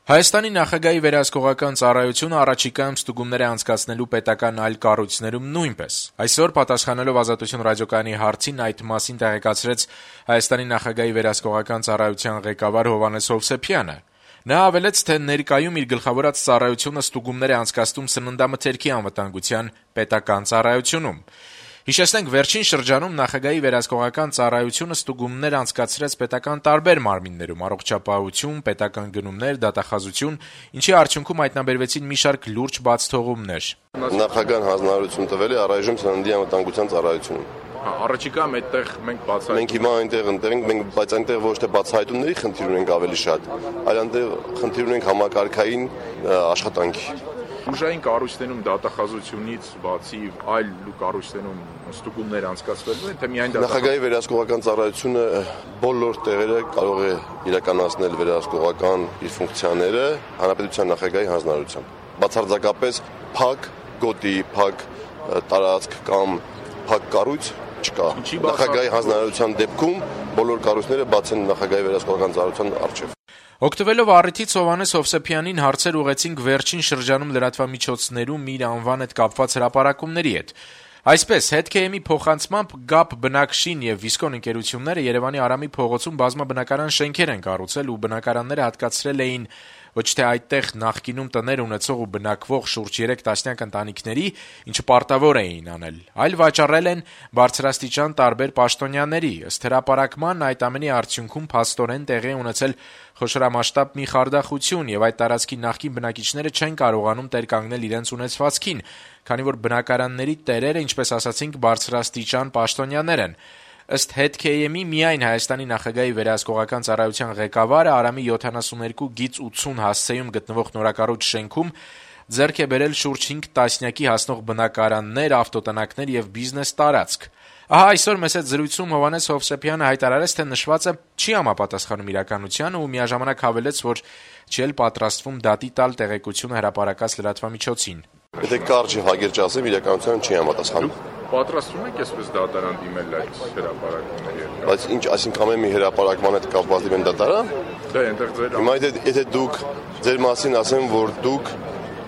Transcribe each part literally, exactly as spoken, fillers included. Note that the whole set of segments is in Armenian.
Հայաստանի նախագահի վերահսկողական ծառայությունը առաջիկայում ստուգումներ է անցկացնելու պետական այլ կառույցներում նույնպես։ Այսօր պատասխանելով Ազատություն ռադիոկայանի հարցին այդ մասին տեղեկացրեց Հայաստանի նախագահի վերահսկողական ծառայության ղեկավար Հովհաննես Հովսեփյանը։ Նա հավելեց, թե ներկայում իր գլխավորած ծառայությունը ստուգումներ է անցկացնում սննդամթերքի անվտանգության պետական ծառայությունում։ Հիշեցնենք, վերջին շրջանում նախագահի վերահսկողական ծառայությունը ստուգումներ անցկացրեց պետական տարբեր մարմիններում՝ առողջապահություն, պետական գնումներ, դատախազություն, ինչի արդյունքում հայտնաբերվեցին մի շարք լուրջ բացթողումներ։ Նախագահան հանձնարարություն տվել է առայժմ սննդի անվտանգության ծառայությունում։ Առաջիկայում այդտեղ մենք բացահայտում Մենք հիմա այնտեղ ընտեղ ենք, մենք բայց այնտեղ ոչ թե բացահայտումների խնդիր ունենք ավելի շատ, այլ այնտեղ խնդիր ունենք համակարգային աշխատանքի։ Ուժային կառույցներում դատախազությունից բացի այլ կառույցներում ստուգումներ անցկացվելու են, թե միայն Նախագահի վերահսկողական ծառայությունը բոլոր տեղերը կարող է իրականացնել վերահսկողական իր ֆունկցիաները հանրապետության նախագահի հանձնարարությամբ։ Բացարձակապես փակ գոտի, փակ տարածք կամ փակ կառույց չկա։ Նախագահի հանձնարարության դեպքում բոլոր կառույցները բաց են նախագահի վերահսկողական ծառայության առջև։ Օգտվելով առիթից Հովհաննես Հովսեփյանին հարցեր ուղղեցինք վերջին շրջանում լրատվամիջոցներում իր անվան հետ կապված հրապարակումների հետ։ Այսպես, հետքեյեմի փոխանցմամբ ԳԱՊ բնակշին եւ Վիսկոն ընկերությունները Երևանի Արամի փողոցում բազմաբնակարան շենքեր են կառուցել ու բնակարանները հատկացրել էին ոչ թե այդտեղ նախկինում տներ ունեցող ու բնակվող շուրջ երեք տասնյակ ընտանիքների, ինչը պարտավոր էին անել, այլ վաճառել են բարձրաստիճան տարբեր պաշտոնյաների։ Ըստ հրապարակման, այդ ամենի արդյունքում փաստորեն տեղի ունեցել խոշորամասշտաբ մի խարդախություն եւ այդ տարածքի նախկին բնակիչները չեն կարողանում տեր կանգնել իրենց ունեցվածքին, քանի որ բնակարանների տերերը, ինչպես ասացինք, բարձրաստիճան պաշտոնյաներ են։ Ըստ հետքեյեմի միայն Հայաստանի նախագահի վերահսկողական ծառայության ղեկավարը Արամի յոթանասուններկու գիծ ութսուն հասցեում գտնվող նորակառույց շենքում ձեռք է բերել շուրջ հինգ տասնյակի հասնող բնակարաններ, ավտոտնակներ եւ բիզնես տարածք։ Ահա այսօր մեծ այդ զրույցում Հովհաննես Հովսեփյանը հայտարարեց, թե նշվածը չի համապատասխանում իրականությանը ու միաժամանակ հավելեց, որ չի էլ պատրաստվում դատի տալ տեղեկությունը հրապարակած լրատվամիջոցին։ Եթե կարճ եւ հագերճ ասեմ, իրականությանը չի համապատասխանում։ Պատրաստվում եք այսպես դատարան դիմել այդ հրապարակումների հետ։ Բայց ինչ, այսինքն ամեն մի հրապարակման հետ կապված դիմեն դատարան։ Դե այնտեղ ձեր Հիմա եթե դուք ձեր մասին ասեմ, որ դուք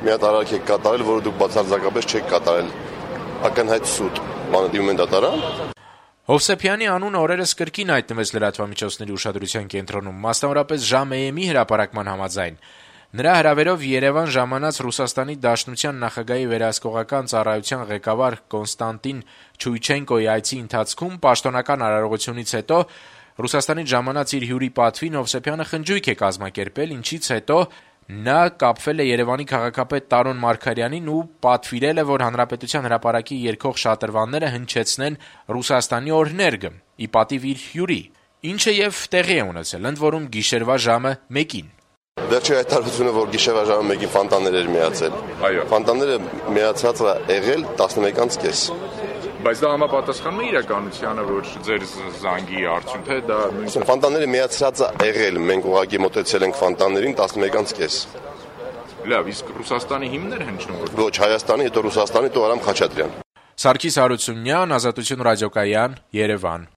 մի հատ արարք եք կատարել, որը դուք բացարձակապես չեք կատարել, ակնհայտ սուտ, բանը դիմում են դատարան։ Հովսեփյանի անունը օրերս կրկին հայտնվեց լրատվամիջոցների ուշադրության կենտրոնում, մասնավորապես Ժամ-Էյեմի հրապարակման համաձայն։ Նրա հրավերով Երևան ժամանած Ռուսաստանի Դաշնության նախագահի վերահսկողական ծառայության ղեկավար Կոնստանտին Չույչենկոյի այցի ընթացքում պաշտոնական արարողությունից հետո Ռուսաստանից ժամանած իր հյուրի պատվին Հովսեփյանը խնջույք է կազմակերպել, ինչից հետո նա կապվել է Երևանի քաղաքապետ Տարոն Մարգարյանին ու պատվիրել է, որ Հանրապետության հրապարակի երգող շատրվանները հնչեցնեն Ռուսաստանի օրհներգը՝ ի պատիվ իր հյուրի, ինչը եւ տեղի է ունեցել, ընդ որում գիշերվա ժամը մեկին։ Վերջի հայտարարությունը, որ գիշերվա ժամը մեկին ֆանտաներ էր միացել։ Այո։ Ֆանտաները միացած է եղել տասնմեկանց կես։ Բայց դա համապատասխանում է իրականությանը, որ ձեր զանգի արդյունք է դա նույնիսկ ֆանտաները միացած է եղել, մենք ուղղակի մոտեցել ենք ֆանտաներին տասնմեկանց կես։ Լավ, իսկ Ռուսաստանի հիմներ հնչում որ Ոչ, Հայաստանի, հետո Ռուսաստանի, հետո Արամ Խաչատրյան։ Սարգիս Հարությունյան, Ազատություն ռադիոկայան, Երևան։